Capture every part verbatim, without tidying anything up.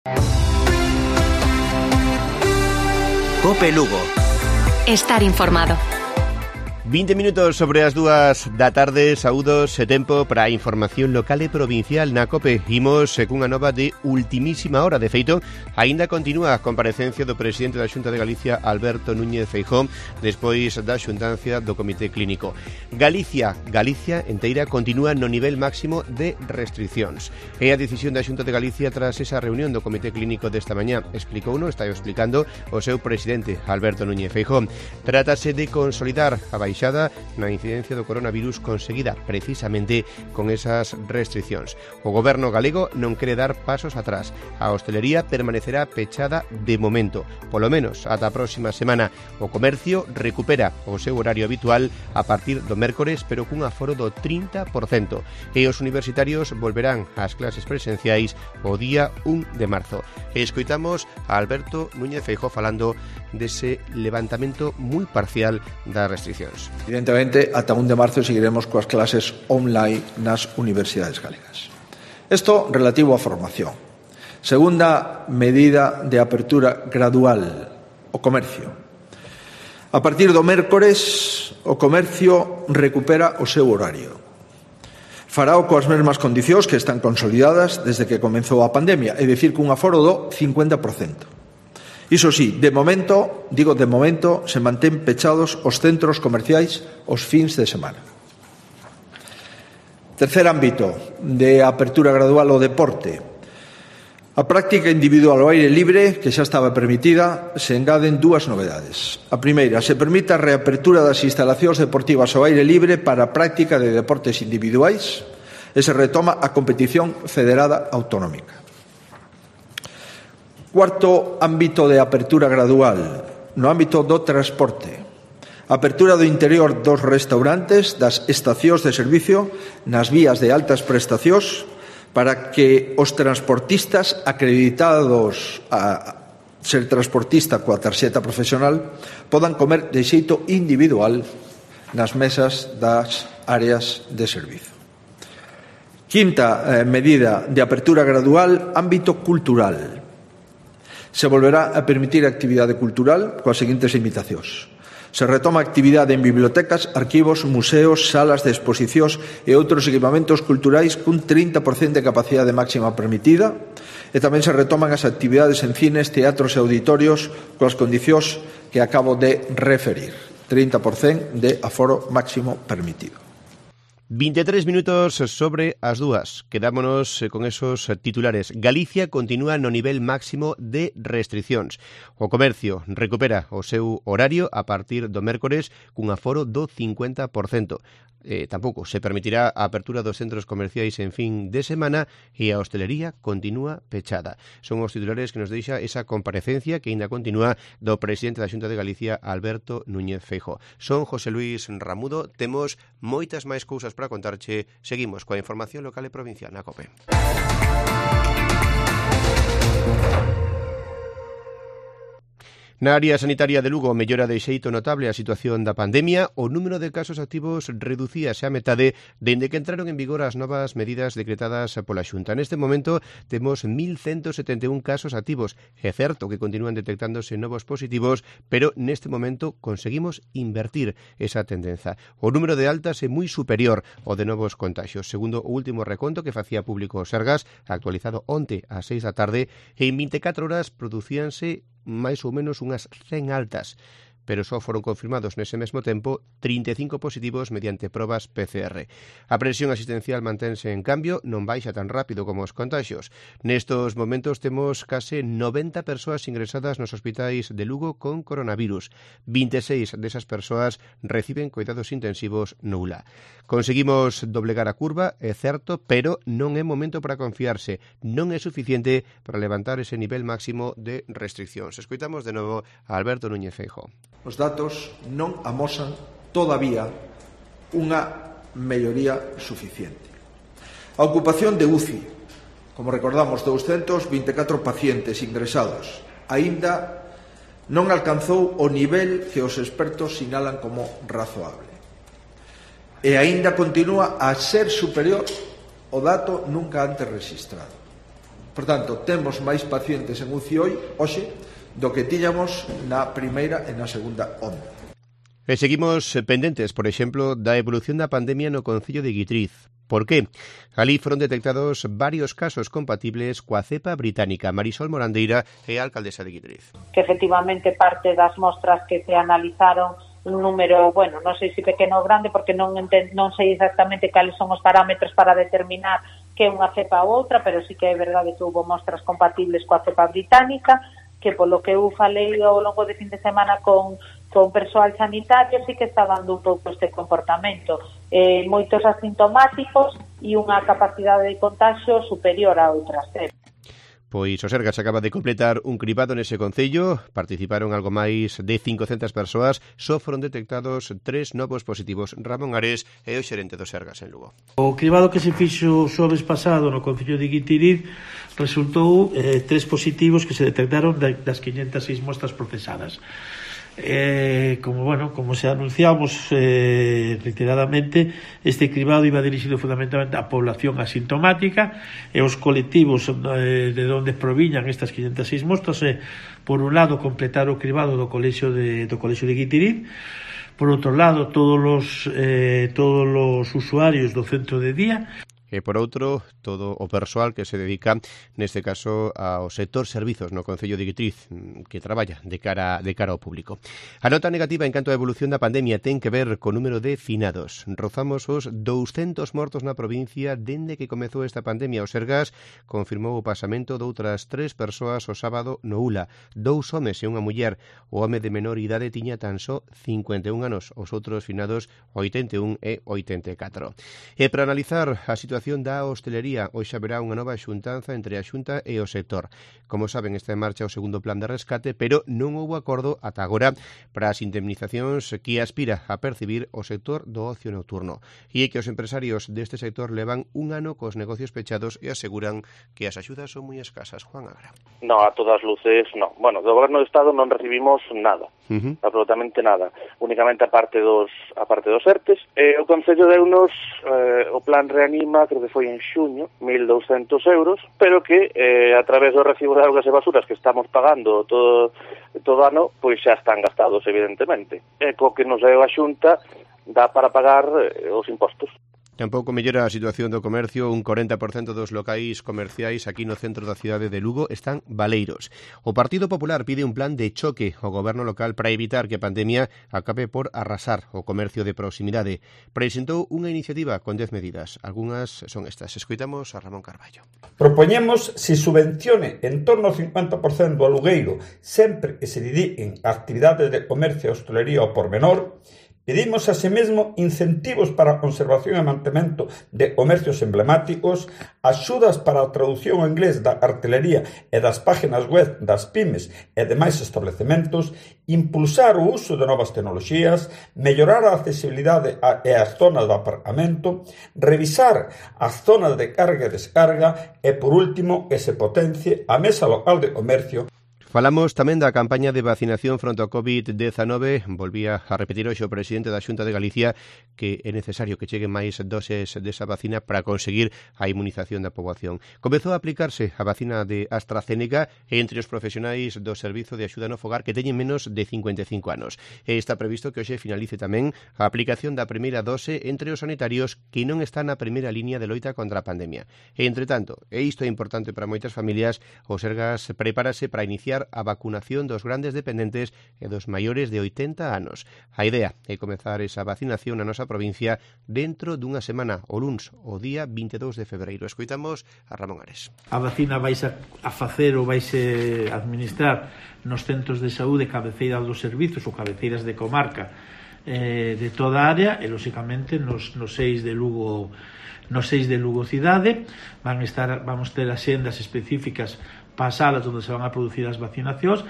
COPE Lugo. Estar informado. vinte minutos sobre as dúas da tarde, saúdos e tempo para a información local e provincial na COPE. Imos cunha nova de ultimísima hora. De feito, aínda continúa a comparecencia do presidente da Xunta de Galicia, Alberto Núñez Feijóo, despois da xuntancia do Comité Clínico. Galicia, Galicia enteira continúa no nivel máximo de restriccións. É a decisión da Xunta de Galicia tras esa reunión do Comité Clínico desta mañá. Explicouno, está explicando o seu presidente, Alberto Núñez Feijóo. Trátase de consolidar a baixa na incidencia do coronavirus conseguida precisamente con esas restriccións. O goberno galego non quere dar pasos atrás. A hostelería permanecerá pechada de momento, polo menos ata a próxima semana. O comercio recupera o seu horario habitual a partir do mércores, pero cun aforo do trinta por cento. E os universitarios volverán ás clases presenciais o día un de marzo. E escoitamos a Alberto Núñez Feijóo falando dese levantamento moi parcial das restriccións. Evidentemente, ata un de marzo seguiremos coas clases online nas universidades galegas. Isto relativo á formación. Segunda medida de apertura gradual, o comercio. A partir do mércores, o comercio recupera o seu horario. Farao coas mesmas condicións que están consolidadas desde que comezou a pandemia, é dicir, cun aforo do cincuenta por cento. Iso sí, de momento, digo de momento, se mantén pechados os centros comerciais os fins de semana. Tercer ámbito de apertura gradual, o deporte. A práctica individual ao aire libre, que xa estaba permitida, se engaden dúas novedades. A primeira, se permite a reapertura das instalacións deportivas ao aire libre para a práctica de deportes individuais e se retoma a competición federada autonómica. Cuarto ámbito de apertura gradual, no ámbito do transporte. Apertura do interior dos restaurantes, das estacións de servicio, nas vías de altas prestacións, para que os transportistas acreditados a ser transportista coa tarxeta profesional podan comer de xeito individual nas mesas das áreas de servizo. Quinta eh, medida de apertura gradual, ámbito cultural. Se volverá a permitir a actividade cultural coas seguintes limitacións. Se retoma a actividade en bibliotecas, arquivos, museos, salas de exposicións e outros equipamentos culturais cun trinta por cento de capacidade máxima permitida, e tamén se retoman as actividades en cines, teatros e auditorios coas condicións que acabo de referir. trinta por cento de aforo máximo permitido. vinte e tres minutos sobre as dúas. Quedámonos con esos titulares. Galicia continúa no nivel máximo de restriccións. O comercio recupera o seu horario a partir do mércores cun aforo do cincuenta por cento. Eh, tampouco se permitirá a apertura dos centros comerciais en fin de semana e a hostelería continúa pechada. Son os titulares que nos deixa esa comparecencia que ainda continúa do presidente da Xunta de Galicia, Alberto Núñez Feijóo. Son José Luis Ramudo. Temos moitas máis cousas para contarche. Seguimos coa información local e provincial na COPE. Na área sanitaria de Lugo mellora de xeito notable a situación da pandemia. O número de casos activos reducíase a metade dende que entraron en vigor as novas medidas decretadas pola Xunta. Neste momento temos mil ciento setenta e un casos activos. É certo que continúan detectándose novos positivos, pero neste momento conseguimos invertir esa tendenza. O número de altas é moi superior ao de novos contagios. Segundo o último reconto que facía público o Sergas, actualizado onte ás seis da tarde, en vinte e catro horas producíanse máis ou menos unhas cen altas, pero só foron confirmados nese mesmo tempo trinta e cinco positivos mediante probas P C R. A presión asistencial mantense, en cambio, non baixa tan rápido como os contagios. Nestos momentos temos case noventa persoas ingresadas nos hospitais de Lugo con coronavirus. vinte e seis desas persoas reciben cuidados intensivos no U L A. Conseguimos doblegar a curva, é certo, pero non é momento para confiarse. Non é suficiente para levantar ese nivel máximo de restriccións. Escoitamos de novo a Alberto Núñez Feijóo. Os datos non amosan todavía unha melloría suficiente. A ocupación de U C I, como recordamos, douscentos vinte e catro pacientes ingresados, aínda non alcanzou o nivel que os expertos sinalan como razoable. E aínda continúa a ser superior ao dato nunca antes rexistrado. Por tanto, temos máis pacientes en U C I hoxe do que tiñamos na primeira e na segunda onda. E seguimos pendentes, por exemplo, da evolución da pandemia no concello de Guitriz. Por qué? Alí foron detectados varios casos compatibles coa cepa británica. Marisol Morandeira é a alcaldesa de Guitriz. Que efectivamente parte das mostras que se analizaron un número, bueno, non sei se pequeno ou grande, porque non, enten, non sei exactamente cales son os parámetros para determinar que é unha cepa ou outra, pero sí que é verdade que houve mostras compatibles coa cepa británica, que polo que eu falei ao longo de fin de semana con con persoal sanitario sí que está dando un pouco este comportamento. Eh, moitos asintomáticos e unha capacidade de contagio superior a outras cepas. Pois o Sergas acaba de completar un cribado nese concello, participaron algo máis de cincocentas persoas, só foron detectados tres novos positivos. Ramón Ares é o xerente do Sergas en Lugo. O cribado que se fixo o xoves pasado no concello de Guitiriz resultou eh, tres positivos que se detectaron das quinhentas seis mostras procesadas. Eh, como bueno, como se anunciamos eh, reiteradamente, este cribado iba dirixido fundamentalmente á población asintomática e os colectivos eh, de onde proviñan estas quinhentas seis mostras é, eh, por un lado, completar o cribado do colexio de, do colexio de Guitiriz, por outro lado, todos os, eh, todos os usuarios do centro de día, e por outro, todo o persoal que se dedica, neste caso, ao sector servizos no concello de Guitriz, que traballa de cara de cara ao público. A nota negativa en canto á evolución da pandemia ten que ver co número de finados. Rozamos os douscentos mortos na provincia dende que comezou esta pandemia. O Sergas confirmou o pasamento de outras tres persoas o sábado no Ula, dous homes e unha muller. O home de menor idade tiña tan só cincuenta e un anos, os outros finados oitenta e un e oitenta e catro. E para analizar a situación da hostelería, hoxe haberá unha nova xuntanza entre a Xunta e o sector. Como saben, está en marcha o segundo plan de rescate, pero non houbo acordo ata agora para as indemnizacións que aspira a percibir o sector do ocio nocturno. E é que os empresarios deste sector levan un ano cos negocios pechados e aseguran que as axudas son moi escasas. Juan Agra. No, a todas luces, no. Bueno, do Goberno do Estado non recibimos nada, uh-huh. absolutamente nada. Únicamente a parte dos, a parte dos ERTES. E o Concello deunos eh, o plan Reanima, creo que foi en xuño, mil douscentos euros, pero que eh, a través do recibo de augas e basuras que estamos pagando todo todo ano, pois xa están gastados, evidentemente. E co que nos deu a Xunta dá para pagar eh, os impostos. Tampouco mellora a situación do comercio. Un corenta por cento dos locais comerciais aquí no centro da cidade de Lugo están baleiros. O Partido Popular pide un plan de choque ao goberno local para evitar que a pandemia acabe por arrasar o comercio de proximidade. Presentou unha iniciativa con dez medidas. Algúnas son estas. Escoitamos a Ramón Carballo. Propoñemos se subvencione en torno ao cincuenta por cento do alugueiro sempre que se dediquen a actividades de comercio e hostelería ao pormenor. Pedimos asemesmo incentivos para a conservación e mantemento de comercios emblemáticos, axudas para a traducción ao inglés da cartelería e das páginas web das pymes e demais establecementos, impulsar o uso de novas tecnoloxías, mellorar a accesibilidade e as zonas de aparcamento, revisar as zonas de carga e descarga e, por último, que se potencie a mesa local de comercio. Falamos tamén da campaña de vacinación fronte ao covid dezenove. Volvía a repetir hoxe o presidente da Xunta de Galicia que é necesario que cheguen máis doses desa vacina para conseguir a inmunización da poboación. Comezou a aplicarse a vacina de AstraZeneca entre os profesionais do Servizo de Axuda no Fogar que teñen menos de cincuenta e cinco anos. E está previsto que hoxe finalice tamén a aplicación da primeira dose entre os sanitarios que non están na primeira línea de loita contra a pandemia. E, entre tanto, e isto é importante para moitas familias, o Sergas prepárase para iniciar a vacunación dos grandes dependentes e dos maiores de oitenta anos. A idea é comezar esa vacinación na nosa provincia dentro dunha semana, o luns, o día vinte e dous de febreiro. Escoitamos a Ramón Ares. A vacina vais a, a facer ou vais a administrar nos centros de saúde cabeceiras dos servizos ou cabeceiras de comarca eh, de toda a área e, lóxicamente, nos, nos seis de Lugo nos seis de Lugo cidade van estar, vamos ter axendas específicas para as salas onde se van a producir as vacinacións.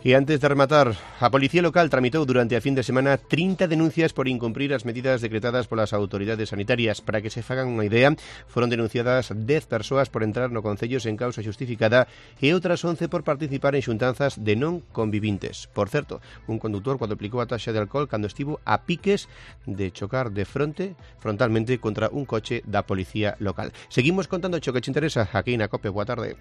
E antes de rematar, a Policía Local tramitou durante a fin de semana trinta denuncias por incumprir as medidas decretadas polas autoridades sanitarias. Para que se fagan unha idea, foron denunciadas dez persoas por entrar no concello sen causa xustificada e outras once por participar en xuntanzas de non convivintes. Por certo, un condutor cuadruplicou a taxa de alcohol cando estivo a piques de chocar de fronte, frontalmente contra un coche da Policía Local. Seguimos contando o que te interesa aquí na COPE. Boa tarde.